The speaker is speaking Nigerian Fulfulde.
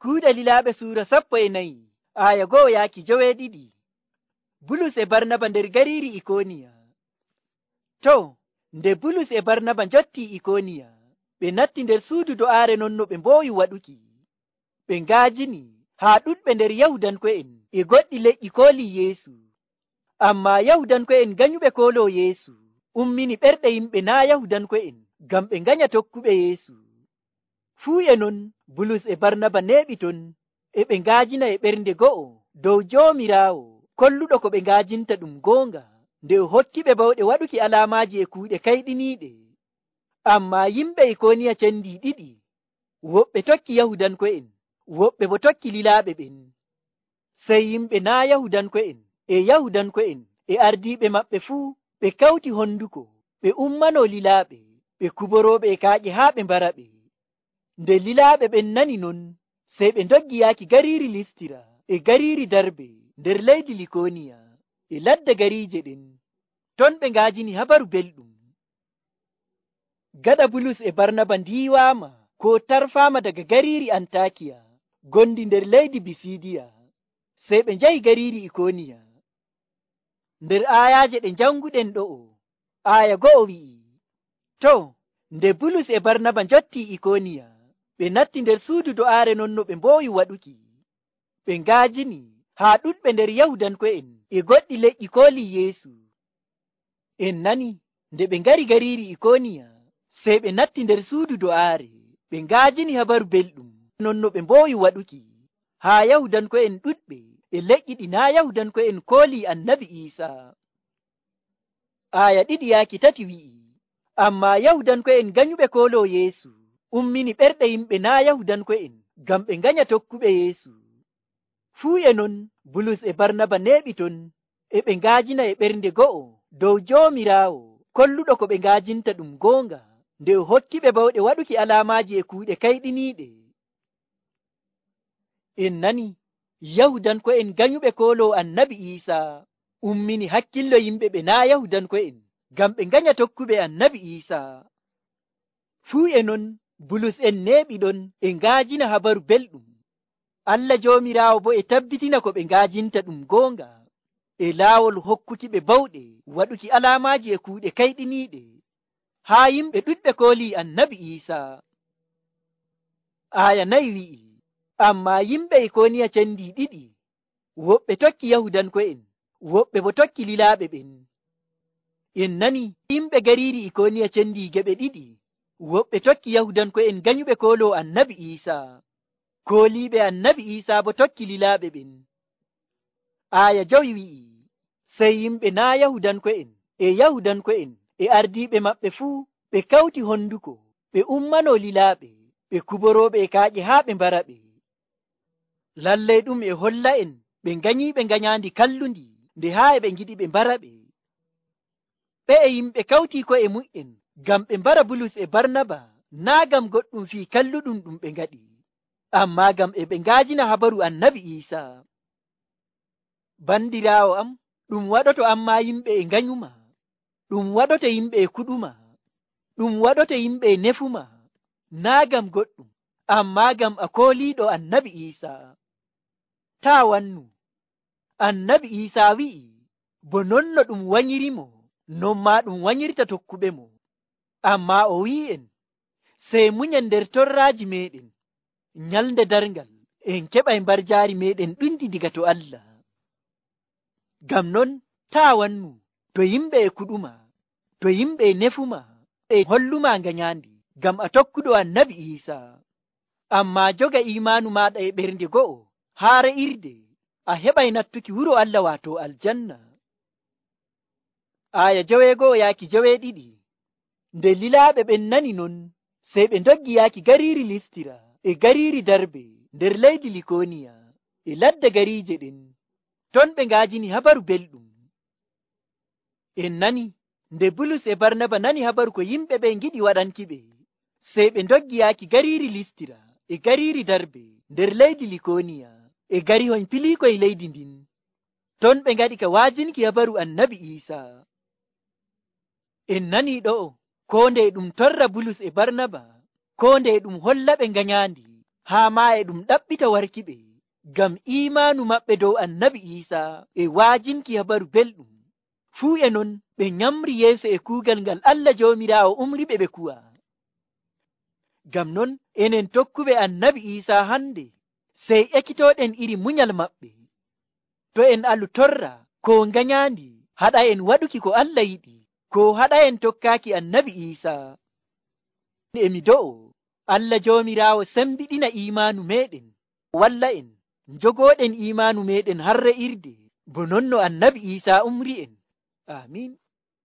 Kuuɗe Lilaaɓe Suura 14 aya 1 yaaki 12. Bulus e Barnaba nder gariiri Ikoniya. Nde Bulus e Barnaba njottii Ikoniya, ɓe natti nder suudu do'aare non no ɓe mboowi waɗuki. Ɓe ngaajini haa ɗuɗɓe nder Yahudanko'en e goɗɗi leƴƴi koolii Yeesu. Ammaa Yahudanko'en ganyuɓe kooloo Yeesu ummini ɓerɗe yimɓe naa' Yahudanko'en ngam ɓe nganya tokkuɓe Yeesu. Fuu e non Bulus e Barnaba neeɓi ton e ɓe ngaajina e ɓernde go'o dow Joomiraawo kolluɗo ko ɓe ngaajinta ɗum goonga, nde o hokkiɓe bawɗe waɗuki alaamaaji e kuuɗe kayɗiniiɗe. Ammaa yimɓe Ikoniya cendii ɗiɗi, woɓɓe tokki Yahudanko'en, woɓɓe bo tokki lilaaɓe ɓen. Sey yimɓe naa' Yahudanko'en e Yahudanko'en e ardiiɓe maɓɓe fuu ɓe kawti honduko ɓe ummanoo lilaaɓe, ɓe kuborooɓe e kaaƴe haa ɓe mbaraɓe. Nde lilaaɓe ɓen nani non, sey ɓe ndoggi yaaki gariiri Listira e gariiri Darbe nder leydi Likoniya e ladde gariije ɗen. Ton ɓe ngaajini habaru belɗum. Gaɗa Bulus e Barnaba ndiiwaama koo tarfaama daga gariiri Antakiya gondi nder leydi Bisidiya, sey ɓe njahi gariiri Ikoniya. Nder aayaaje ɗe njanguɗen ɗo'o, aaya 1 wi'i, nde Bulus e Barnaba njottii Ikoniya, ɓe natti nder suudu do'aare non no ɓe mboowi waɗuki. Ɓe ngaajini haa ɗuɗɓe nder Yahudanko'en e goɗɗi leƴƴi koolii Yeesu. En nani nde ɓe ngari gariiri Ikoniya, sey ɓe natti nder suudu do'aare, ɓe ngaajini habaru belɗum non no ɓe mboowi waɗuki haa Yahudanko'en ɗuɗɓe e leƴƴi ɗi naa' Yahudanko'en koolii Annabi Iisaa. Aaya 2 yaaki 3 wi'i, ammaa Yahudanko'en ganyuɓe kooloo Yeesu ummini ɓerɗe yimɓe naa' Yahudanko'en ngam ɓe nganya tokkuɓe Yeesu. Fuu e non Bulus e Barnaba neeɓi ton e ɓe ngaajina e ɓernde go'o dow Joomiraawo kolluɗo ko ɓe ngaajinta ɗum goonga, nde o hokkiɓe bawɗe waɗuki alaamaaji e kuuɗe kayɗiniiɗe. En nani Yahudanko'en ganyuɓe kooloo Annabi Iisaa ummini hakkillo yimɓe ɓe naa' Yahudanko'en ngam ɓe nganya tokkuɓe Annabi Iisaa. Fuu e non Bulus en neeɓi ɗon e ngaajina habaru belɗum. Allah Joomiraawo bo e tabbitina ko ɓe ngaajinta ɗum goonga e laawol hokkuki ɓe bawɗe waɗuki alaamaaji e kuuɗe kayɗiniiɗe haa yimɓe ɗuɗɓe koolii Annabi Iisaa. Aaya 4 wi'i, ammaa yimɓe Ikoniya cendii ɗiɗi, woɓɓe tokki Yahudanko'en, woɓɓe bo tokki lilaaɓe ɓen. En nani yimɓe gariiri Ikoniya cendii geɓe ɗiɗi, woɓɓe tokki Yahudanko'en ganyuɓe kooloo Annabi Iisaa, kooliiɓe Annabi Iisaa bo tokki lilaaɓe ɓen. Aaya 5 wi'i, sey yimɓe naa' Yahudanko'en e Yahudanko'en e ardiiɓe maɓɓe fuu ɓe kawti honduko ɓe ummanoo lilaaɓe, ɓe kuborooɓe e kaaƴe haa ɓe mbaraɓe. Lallay ɗum e holla en ɓe nganyiiɓe nganyaandi kallundi nde haa e ɓe ngiɗi ɓe mbaraɓe. Ɓe'e yimɓe kawtii ko'e mu'en ngam ɓe mbara Bulus e Barnaba naa' ngam goɗɗum fii kalluɗum ɗum ɓe ngaɗi, ammaa ngam e ɓe ngaajina habaru Annabi Iisaa. Bandiraawo am, ɗum waɗoto ammaa yimɓe e nganyuma, ɗum waɗoto yimɓe e kuɗuma, ɗum waɗoto yimɓe e nefuma, naa' ngam goɗɗum, ammaa ngam a kooliiɗo Annabi Iisaa. Taa wannu, Annabi Iisaa wi'i, bo non no ɗum wanyirimo, non maa ɗum wanyirta tokkuɓe mo. Ammaa o wi'en, sey munyen nder torraaji meeɗen, nyalnde darngal en keɓay mbarjaari meeɗen ɗundi diga to Allah. Ngam non taa wannu, to yimɓe e kuɗuma, to yimɓe e nefuma e holluma nganyaandi, ngam a tokkuɗo Annabi Iisaa. Ammaa joga iimaanu maaɗa e ɓernde go'o haa re'irde, a heɓay nattuki wuro Allah waato aljanna. Aaya 1 yaaki 2. Nde lilaaɓe ɓen nani non, sey ɓe ndoggi yaaki gariiri Listira e gariiri Darbe nder leydi Likoniya e ladde gariije ɗen. Ton ɓe ngaajini habaru belɗum. En nani nde Bulus e Barnaba nani habaru ko yimɓe ɓe ngiɗi waɗanki ɓe, sey ɓe ndoggi yaaki gariiri Listira e gariiri Darbe nder leydi Likoniya e garihoy piliikoy leydi ndin. Ton ɓe ngaɗi ka waajinki habaru Annabi Iisaa. En nanii ɗo'o, koo nde ɗum torra Bulus e Barnaba, koo nde ɗum holla ɓe nganyaandi haa maa e ɗum ɗaɓɓita warkiɓe ngam imaanu maɓɓe dow annabi Iisaa e waajinki habaru belɗum. Fuu e non ɓe nyamri yeeso e kuugal ngal Allah Joomiraawo umriɓe ɓe kuwa. Ngam non enen tokkuɓe annabi Iisaa hande sey ekkitooɗen iri munyal maɓɓe. To en alu torra ko nganyandi haɗa en waɗuki ko Allah yiɗi, ko haɗa en tokkaaki annabi Iisaa. Emi do'o Allah Joomiraawo sembiɗina imaanu meɗen, walla en njogooɗen imaanu meɗen har re'irde bo non no annabi Iisaa umri en. Amiin.